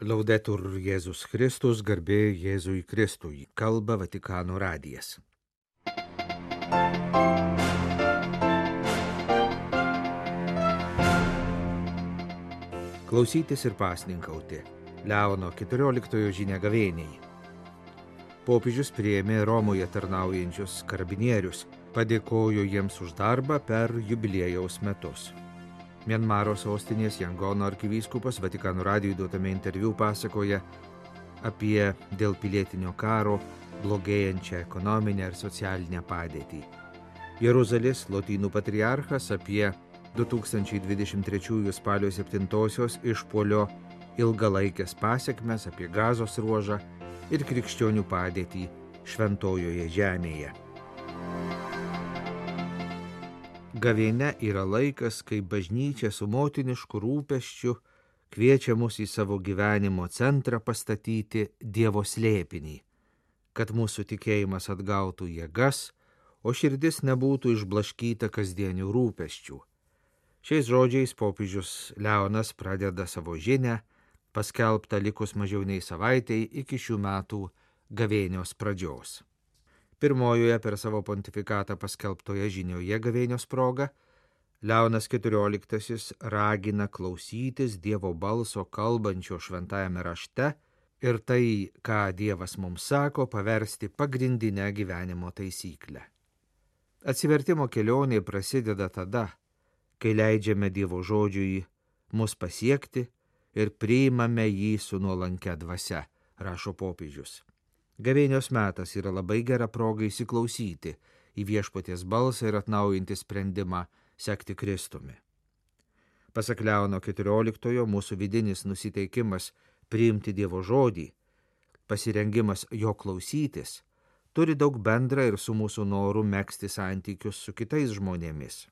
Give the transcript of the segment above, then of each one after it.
Laudetur Jėzus Kristus, garbė Jėzui Kristui, kalba Vatikano radijas. Klausytis ir pasninkauti. Leono 14 žinia gavėniai. Popiežius priėmė Romoje tarnaujančius karabinierius, padėkojo jiems už darbą per jubiliejaus metus. Mianmaro sostinės Jangono arkivyskupas Vatikano radijui duotame interviu pasakoja apie dėl pilietinio karo blogėjančią ekonominę ir socialinę padėtį. Jeruzalės Lotynų patriarchas apie 2023 spalio 7-osios išpuolio ilgalaikės pasekmes, apie Gazos ruožą ir krikščionių padėtį Šventojoje žemėje. Gavėnia yra laikas, kai bažnyčia su motinišku rūpesčiu kviečia mus į savo gyvenimo centrą pastatyti Dievo slėpinį, kad mūsų tikėjimas atgautų jėgas, o širdis nebūtų išblaškyta kasdienių rūpesčių. Šiais žodžiais popiežius Leonas pradeda savo žinią, paskelbtą likus mažiau nei savaitei iki šių metų gavėnios pradžios. Pirmojoje per savo pontifikatą paskelbtoje žinioje gavėnios proga Leonas XIV ragina klausytis Dievo balso kalbančio šventajame rašte ir tai, ką Dievas mums sako, paversti pagrindinę gyvenimo taisyklę. Atsivertimo kelionė prasideda tada, kai leidžiame Dievo žodžiui mus pasiekti ir priimame jį su nuolankia dvasia, rašo popiežius. Gavėnios metas yra labai gera proga įsiklausyti į viešpaties balsą ir atnaujinti sprendimą sekti Kristumi. Pasak Leono XIV, mūsų vidinis nusiteikimas priimti Dievo žodį, pasirengimas jo klausytis, turi daug bendra ir su mūsų noru megzti santykius su kitais žmonėmis.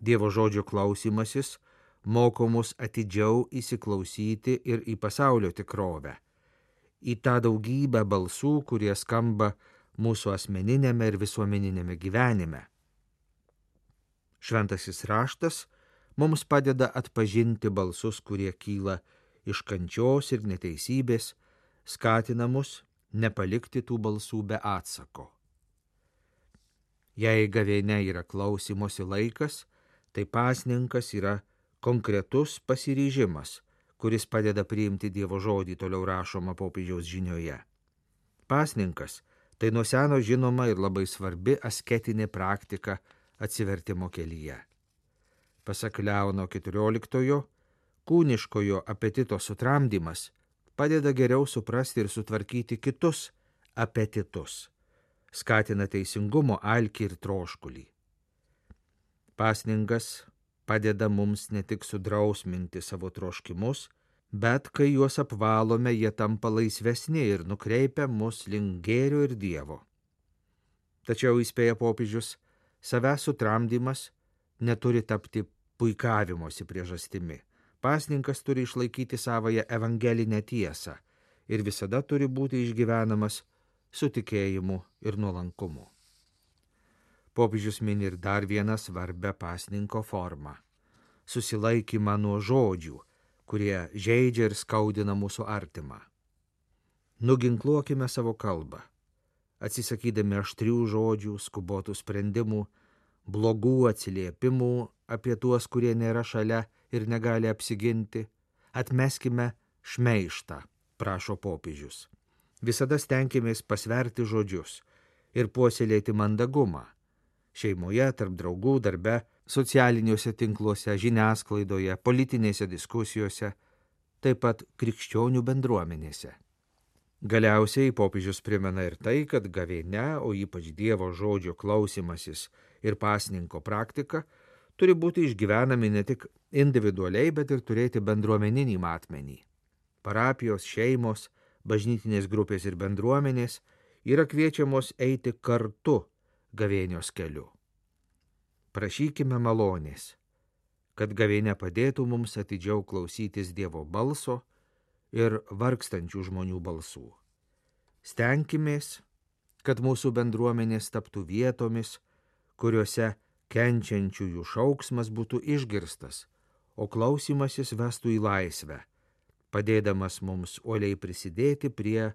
Dievo žodžio klausymasis moko mus atidžiau įsiklausyti ir į pasaulio tikrovę, į tą daugybę balsų, kurie skamba mūsų asmeninėme ir visuomeninėme gyvenime. Šventasis raštas mums padeda atpažinti balsus, kurie kyla iš kančios ir neteisybės, skatina mus nepalikti tų balsų be atsako. Jei gavėnia yra klausymosi laikas, tai pasninkas yra konkretus pasiryžimas, kuris padeda priimti Dievo žodį, toliau rašoma popiežiaus žinioje. Pasninkas tai nuo seno žinoma ir labai svarbi asketinė praktika atsivertimo kelyje. Pasak Leono XIV, kūniškojo apetito sutramdymas padeda geriau suprasti ir sutvarkyti kitus apetitus, skatina teisingumo alkį ir troškulį. Pasninkas padeda mums ne tik sudrausminti savo troškimus, bet kai juos apvalome, jie tampa laisvesni ir nukreipia mus link gėrio ir Dievo. Tačiau įspėja popiežius, savęs sutramdymas neturi tapti puikavimosi priežastimi. Pasninkas turi išlaikyti savąją evangelinę tiesą ir visada turi būti išgyvenamas su tikėjimu ir nuolankumu. Popiežius mini ir dar vieną svarbę pasninko formą – susilaikymą nuo žodžių, kurie žeidžia ir skaudina mūsų artimą. Nuginkluokime savo kalbą, atsisakydami aštrių žodžių, skubotų sprendimų, blogų atsiliepimų apie tuos, kurie nėra šalia ir negali apsiginti, atmeskime šmeižtą, prašo popiežius. Visada stenkimės pasverti žodžius ir puoselėti mandagumą. Šeimoje, tarp draugų, darbe, socialiniuose tinkluose, žiniasklaidoje, politinėse diskusijose, taip pat krikščionių bendruomenėse. Galiausiai popiežius primena ir tai, kad gavėnia, o ypač Dievo žodžio klausymasis ir pasninko praktika, turi būti išgyvenami ne tik individualiai, bet ir turėti bendruomeninį matmenį. Parapijos, šeimos, bažnytinės grupės ir bendruomenės yra kviečiamos eiti kartu gavėnios keliu. Prašykime malonės, kad gavėnia padėtų mums atidžiau klausytis Dievo balso ir vargstančių žmonių balsų. Stenkimės, kad mūsų bendruomenės taptų vietomis, kuriuose kenčiančiųjų šauksmas būtų išgirstas, o klausymasis vestų į laisvę, padėdamas mums uoliai prisidėti prie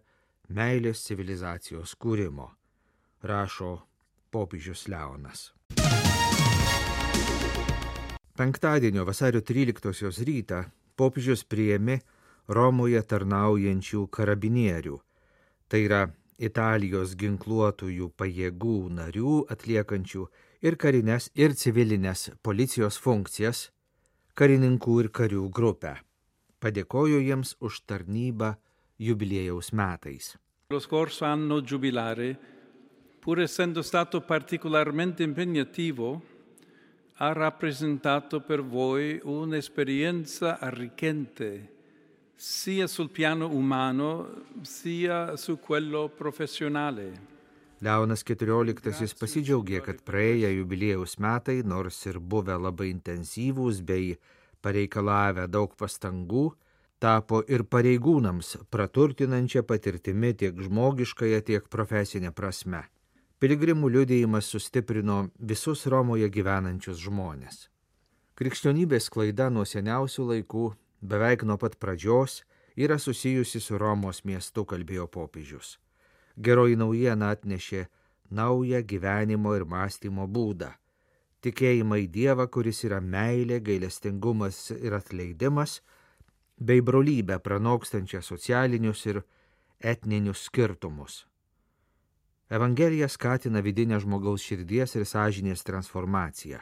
meilės civilizacijos kūrimo, rašo popiežius Leonas. Penktadienio vasario 13 rytą popiežius priėmė Romoje tarnaujančių karabinierių, tai yra Italijos ginkluotųjų pajėgų narių atliekančių ir karinės, ir civilinės policijos funkcijas, karininkų ir karių grupę. Padėkojo jiems už tarnybą jubiliejaus metais. Lo scorso anno giubilare, pur essendo stato particolarmente impegnativo, ha rappresentato per voi un'esperienza arricchente, sia sul piano umano, sia su quello professionale. Leonas XIV pasidžiaugė, kad praėję jubiliejaus metai, nors ir buvę labai intensyvūs bei pareikalavę daug pastangų, tapo ir pareigūnams praturtinančia patirtimi tiek žmogiškąją, tiek profesinę prasme. Piligrimų liudijimas sustiprino visus Romoje gyvenančius žmones. Krikščionybės sklaida nuo seniausių laikų, beveik nuo pat pradžios, yra susijusi su Romos miestu, kalbėjo popiežius. Geroji naujiena atnešė naują gyvenimo ir mąstymo būdą. Tikėjimą į Dievą, kuris yra meilė, gailestingumas ir atleidimas, bei brolybę pranokstančią socialinius ir etninius skirtumus. Evangelija skatina vidinę žmogaus širdies ir sąžinės transformaciją,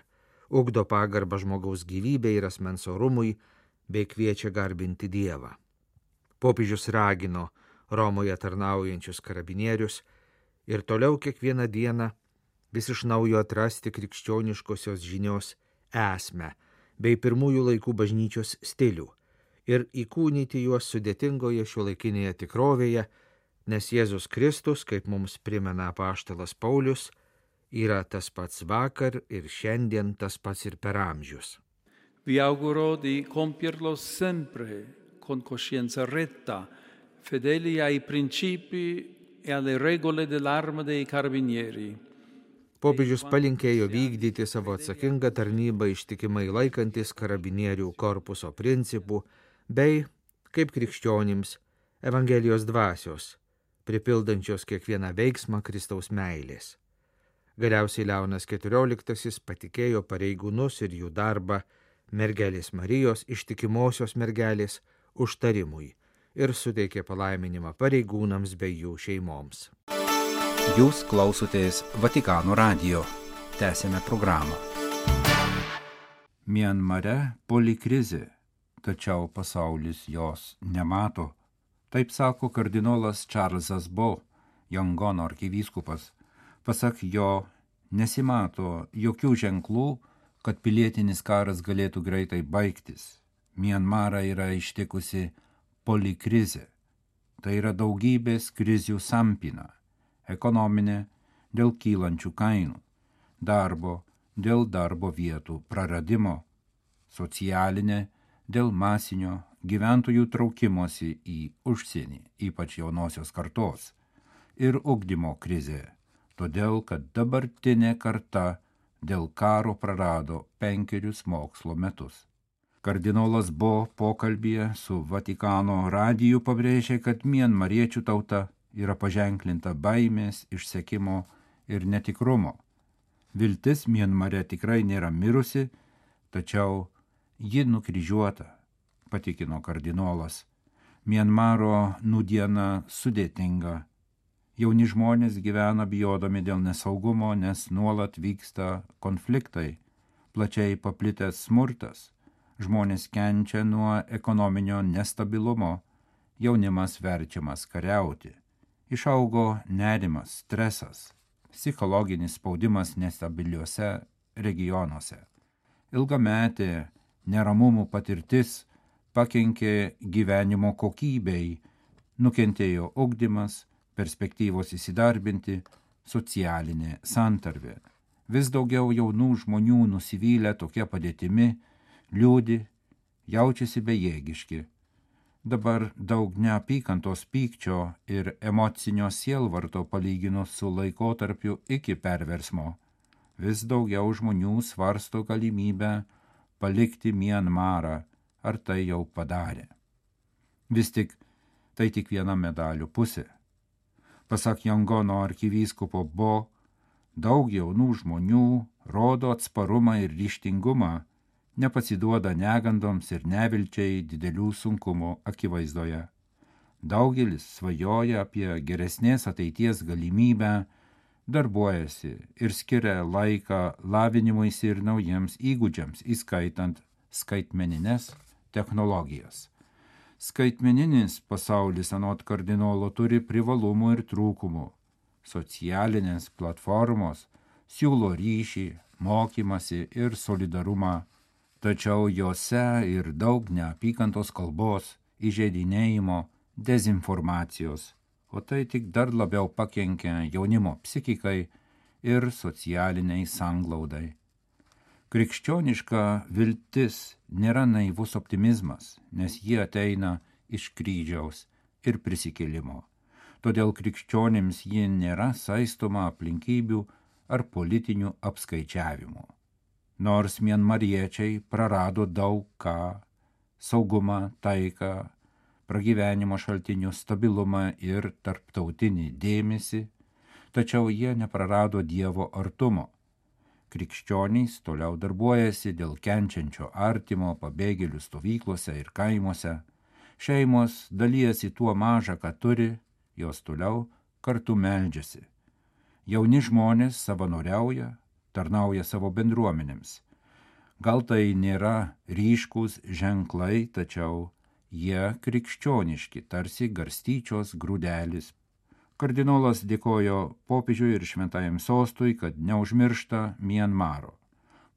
ugdo pagarbą žmogaus gyvybei ir asmens orumui, bei kviečia garbinti Dievą. Popiežius ragino Romoje tarnaujančius karabinierius ir toliau kiekvieną dieną vis iš naujo atrasti krikščioniškosios žinios esmę bei pirmųjų laikų bažnyčios stilių ir įkūnyti juos sudėtingoje šiuolaikinėje tikrovėje, nes Jėzus Kristus, kaip mums primena apaštalas Paulius, yra tas pats vakar ir šiandien, tas pats ir per amžius. Vi auguro di compierlo sempre con coscienza retta, fedeli ai principi e alle regole dell'arma dei carabinieri. Popiežius palinkėjo vykdyti savo atsakingą tarnybą ištikimai laikantis karabinierių korpuso principų bei, kaip krikščionims, Evangelijos dvasios, pripildančios kiekvieną veiksmą Kristaus meilės. Galiausiai Leonas XIV patikėjo pareigūnus ir jų darbą mergelės Marijos ištikimosios mergelės užtarimui ir suteikė palaiminimą pareigūnams bei jų šeimoms. Jūs klausotės Vatikano radijo. Tęsėme programą. Mianmare polikrizė, tačiau pasaulis jos nemato. Taip sako kardinolas Čarlzas Bo, Jangono arkivyskupas. Pasak jo, nesimato jokių ženklų, kad pilietinis karas galėtų greitai baigtis. Mianmarą yra ištikusi polikrizė. Tai yra daugybės krizių sampyna. Ekonominė dėl kylančių kainų, darbo dėl darbo vietų praradimo, socialinė dėl masinio gyventojų traukimosi į užsienį, ypač jaunosios kartos, ir ugdymo krizė, todėl kad dabartinė karta dėl karo prarado 5 mokslo metus. Kardinolas Bo pokalbyje su Vatikano radiju pabrėžė, kad mianmariečių tauta yra paženklinta baimės, išsekimo ir netikrumo. Viltis Mianmare tikrai nėra mirusi, tačiau ji nukryžiuota, patikino kardinolas. Mianmaro nūdiena sudėtinga. Jauni žmonės gyvena bijodami dėl nesaugumo, nes nuolat vyksta konfliktai, plačiai paplitęs smurtas. Žmonės kenčia nuo ekonominio nestabilumo, jaunimas verčiamas kariauti. Išaugo nerimas, stresas, psichologinis spaudimas nestabiliuose regionuose. Ilgametė neramumų patirtis pakenkė gyvenimo kokybei, nukentėjo ugdymas, perspektyvos įsidarbinti, socialinė santarvė. Vis daugiau jaunų žmonių nusivylę tokia padėtimi, liūdi, jaučiasi bejėgiški. Dabar daug neapykantos pykčio ir emocinio sielvarto palyginus su laikotarpiu iki perversmo. Vis daugiau žmonių svarsto galimybę palikti Mianmarą, ar tai jau padarė. Vis tik tai tik viena medalio pusė. Pasak Jangono arkivyskupo Bo, daug jaunų žmonių rodo atsparumą ir ryžtingumą, nepasiduoda negandoms ir nevilčiai didelių sunkumų akivaizdoje. Daugelis svajoja apie geresnės ateities galimybę, darbuojasi ir skiria laiką lavinimuisi ir naujiems įgūdžiams, įskaitant skaitmenines technologijas. Skaitmeninis pasaulis anot kardinolo turi privalumų ir trūkumų. Socialinės platformos siūlo ryšį, mokymasi ir solidarumą, tačiau jose ir daug neapykantos kalbos, įžeidinėjimo, dezinformacijos, o tai tik dar labiau pakenkia jaunimo psichikai ir socialiniai sanglaudai. Krikščioniška viltis nėra naivus optimizmas, nes jie ateina iš kryžiaus ir prisikėlimo. Todėl krikščionims ji nėra saistoma aplinkybių ar politinių apskaičiavimų. Nors mianmariečiai prarado daug ką - saugumą, taiką, pragyvenimo šaltinių stabilumą ir tarptautinį dėmesį, tačiau jie neprarado Dievo artumo. Krikščionys toliau darbuojasi dėl kenčiančio artimo pabėgėlių stovyklose ir kaimuose. Šeimos dalijasi tuo maža, ką turi, jos toliau kartu meldžiasi. Jauni žmonės savanoriauja, tarnauja savo bendruomenėms. Gal tai nėra ryškūs ženklai, tačiau jie krikščioniški, tarsi garstyčios grūdelis. Kardinolas dėkojo popiežiui ir šventajam sostui, kad neužmiršta Mianmaro.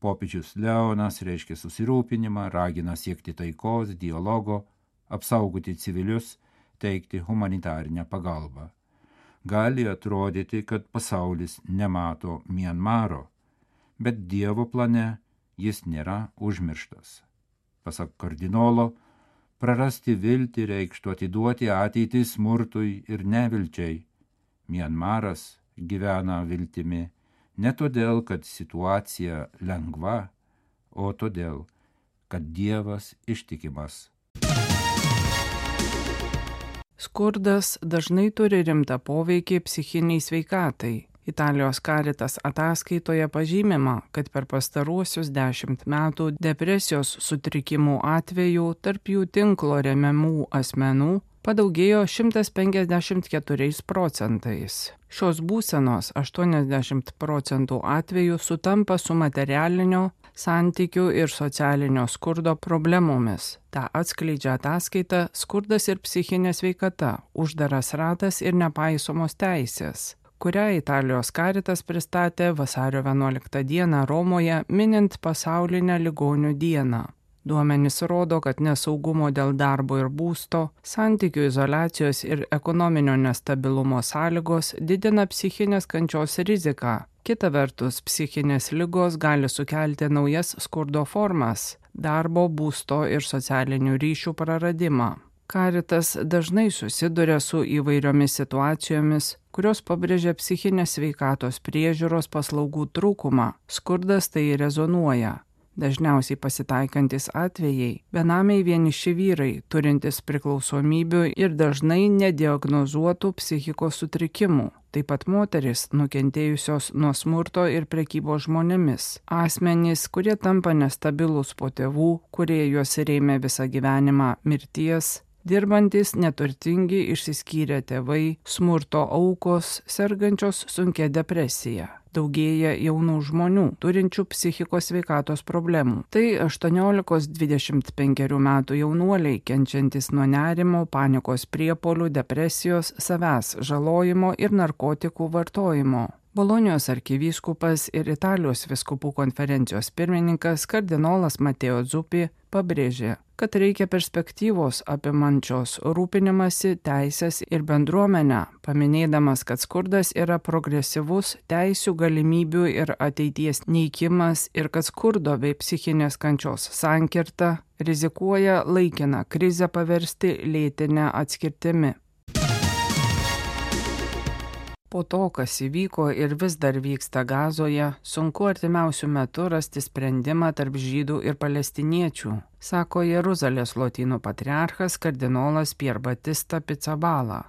Popiežius Leonas reiškia susirūpinimą, ragina siekti taikos, dialogo, apsaugoti civilius, teikti humanitarinę pagalbą. Gali atrodyti, kad pasaulis nemato Mianmaro, bet Dievo plane jis nėra užmirštas. Pasak kardinolo, prarasti viltį reikštų atiduoti ateitį smurtui ir nevilčiai. Mianmaras gyvena viltimi ne todėl, kad situacija lengva, o todėl, kad Dievas ištikimas. Skurdas dažnai turi rimtą poveikį psichiniai sveikatai. Italijos Caritas ataskaitoje pažymima, kad per pastaruosius 10 metų depresijos sutrikimų atvejų tarp jų tinklo remiamų asmenų padaugėjo 154 procentais. Šios būsenos 80% atvejų sutampa su materialinio, santykių ir socialinio skurdo problemomis. Ta atskleidžia ataskaita Skurdas ir psichinė sveikata, uždaras ratas ir nepaisomos teisės, kurią Italijos Caritas pristatė vasario 11 dieną Romoje, minint pasaulinę ligonių dieną. Duomenys rodo, kad nesaugumo dėl darbo ir būsto, santykių izoliacijos ir ekonominio nestabilumo sąlygos didina psichinės kančios riziką. Kita vertus, psichinės ligos gali sukelti naujas skurdo formas – darbo, būsto ir socialinių ryšių praradimą. Caritas dažnai susiduria su įvairiomis situacijomis, kurios pabrėžia psichinės sveikatos priežiūros paslaugų trūkumą. Skurdas tai rezonuoja. Dažniausiai pasitaikantis atvejai – benamiai vieniši vyrai, turintys priklausomybių ir dažnai nediagnozuotų psichikos sutrikimų. Taip pat moterys, nukentėjusios nuo smurto ir prekybos žmonėmis. Asmenys, kurie tampa nestabilūs po tėvų, kurie juos rėmė visą gyvenimą mirties, dirbantis neturtingi išsiskyrę tėvai, smurto aukos, sergančios sunkia depresija. Daugėja jaunų žmonių, turinčių psichikos sveikatos problemų. Tai 18-25 metų jaunuoliai, kenčiantis nuo nerimo, panikos priepuolių, depresijos, savęs žalojimo ir narkotikų vartojimo. Bolonijos arkivyskupas ir Italijos vyskupų konferencijos pirmininkas kardinolas Mateo Zuppi pabrėžė, kad reikia perspektyvos apimančios rūpinimąsi, teisės ir bendruomenę, paminėdamas, kad skurdas yra progresyvus teisių, galimybių ir ateities neikimas ir kad skurdo bei psichinės kančios sankirta rizikuoja laikiną krizę paversti lėtine atskirtimi. Po to, kas įvyko ir vis dar vyksta Gazoje, sunku artimiausių metų rasti sprendimą tarp žydų ir palestiniečių, sako Jeruzalės lotynų patriarchas kardinolas Pier Batista Pizzaballa.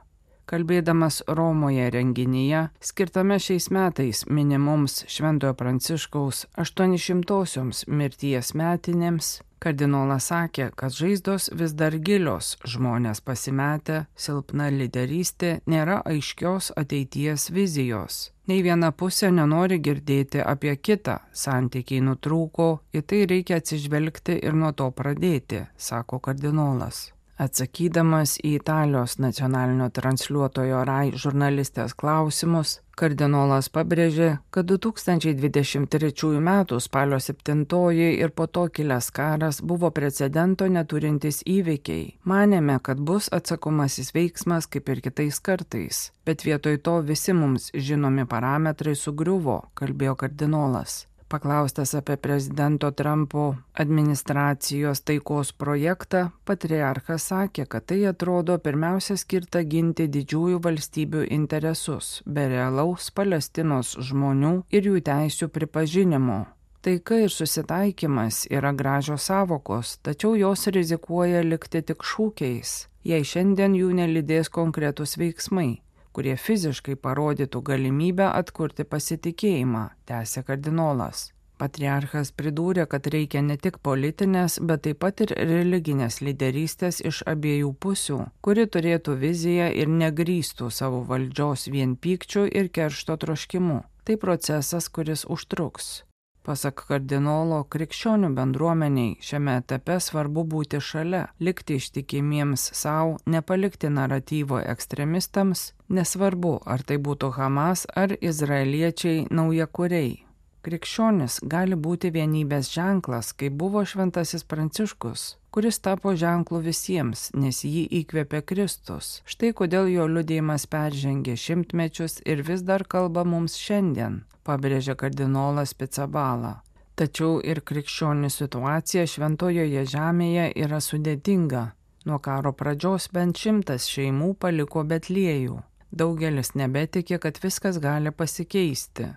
Kalbėdamas Romoje renginyje, skirtame šiais metais minimoms Šventojo Pranciškaus 800-osioms mirties metinėms, kardinolas sakė, kad žaizdos vis dar gilios, žmonės pasimetę, silpna lyderystė, nėra aiškios ateities vizijos. Nei viena pusė nenori girdėti apie kitą, santykiai nutrūko, į tai reikia atsižvelgti ir nuo to pradėti, sako kardinolas. Atsakydamas į Italijos nacionalinio transliuotojo RAI žurnalistės klausimus, kardinolas pabrėžė, kad 2023 m. spalio 7 ir po to kilęs karas buvo precedento neturintys įvykiai. Manėme, kad bus atsakomasis veiksmas kaip ir kitais kartais, bet vietoj to visi mums žinomi parametrai sugriuvo, kalbėjo kardinolas. Paklaustas apie prezidento Trumpo administracijos taikos projektą, patriarchas sakė, kad tai atrodo pirmiausia skirta ginti didžiųjų valstybių interesus, be realaus Palestinos žmonių ir jų teisių pripažinimo. Taika ir susitaikymas yra gražios sąvokos, tačiau jos rizikuoja likti tik šūkiais, jei šiandien jų nelydės konkretūs veiksmai, kurie fiziškai parodytų galimybę atkurti pasitikėjimą, tęsė kardinolas. Patriarchas pridūrė, kad reikia ne tik politinės, bet taip pat ir religinės lyderystės iš abiejų pusių, kuri turėtų viziją ir negrįstų savo valdžios vien pykčiu ir keršto troškimu. Tai procesas, kuris užtruks. Pasak kardinolo, krikščionių bendruomeniai šiame etape svarbu būti šalia, likti ištikimiems savo, nepalikti naratyvo ekstremistams, nesvarbu, ar tai būtų Hamas ar izraeliečiai naujakuriai. Krikščionis gali būti vienybės ženklas, kaip buvo šventasis Pranciškus, kuris tapo ženklu visiems, nes jį įkvėpė Kristus. Štai kodėl jo liudijimas peržengė šimtmečius ir vis dar kalba mums šiandien, pabrėžė kardinolas Pizzaballa. Tačiau ir krikščionių situacija šventojoje žemėje yra sudėtinga. Nuo karo pradžios bent 100 šeimų paliko Betliejų. Daugelis nebetiki, kad viskas gali pasikeisti.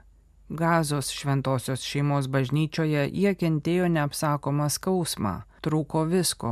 Gazos šventosios šeimos bažnyčioje jie kentėjo neapsakomą skausmą, trūko visko.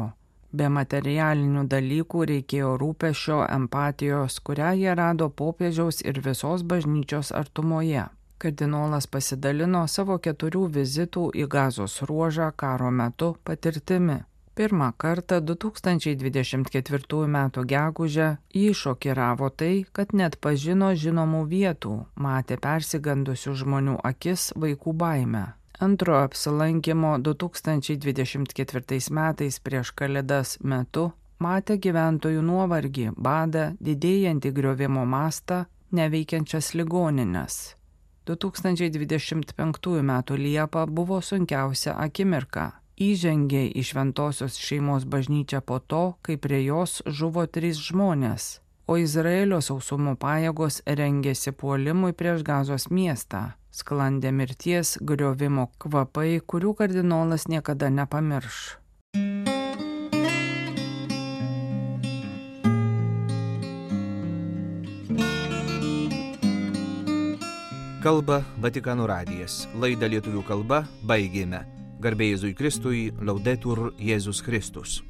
Be materialinių dalykų reikėjo rūpesčio, empatijos, kurią jie rado popiežiaus ir visos bažnyčios artumoje. Kardinolas pasidalino savo 4 vizitų į Gazos ruožą karo metu patirtimi. Pirmą kartą 2024 m. gegužę jį šokiravo tai, kad net pažino žinomų vietų, matė persigandusių žmonių akis vaikų baimę. Antrojo apsilankimo 2024 metais prieš Kalėdas metu matė gyventojų nuovargį, badą, didėjantį griovimo mastą, neveikiančias ligonines. 2025 m. Liepą buvo sunkiausia akimirka. Įžengė į šventosios šeimos bažnyčią po to, kai prie jos žuvo 3 žmonės, o Izraelio sausumo pajėgos rengėsi puolimui prieš Gazos miestą. Sklandė mirties, griovimo kvapai, kurių kardinolas niekada nepamirš. Kalba Vatikano radijas. Laidą lietuvių kalba baigėme. Garbė Jėzui Kristui, Laudetur Jėzus Kristus.